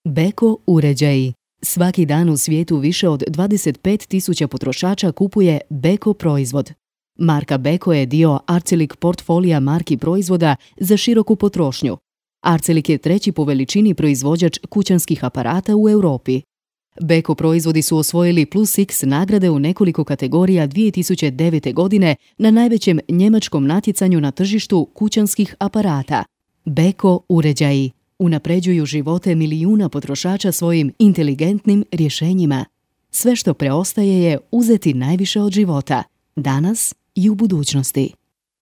Beko uređaji. Svaki dan u svijetu više od 25.000 potrošača kupuje Beko proizvod. Marka Beko je dio Arçelik portfolija marki proizvoda za široku potrošnju. Arçelik je treći po veličini proizvođač kućanskih aparata u Europi. Beko proizvodi su osvojili Plus X nagrade u nekoliko kategorija 2009. godine na najvećem njemačkom natjecanju na tržištu kućanskih aparata. Beko uređaji unapređuju živote milijuna potrošača svojim inteligentnim rješenjima. Sve što preostaje je uzeti najviše od života, danas i u budućnosti.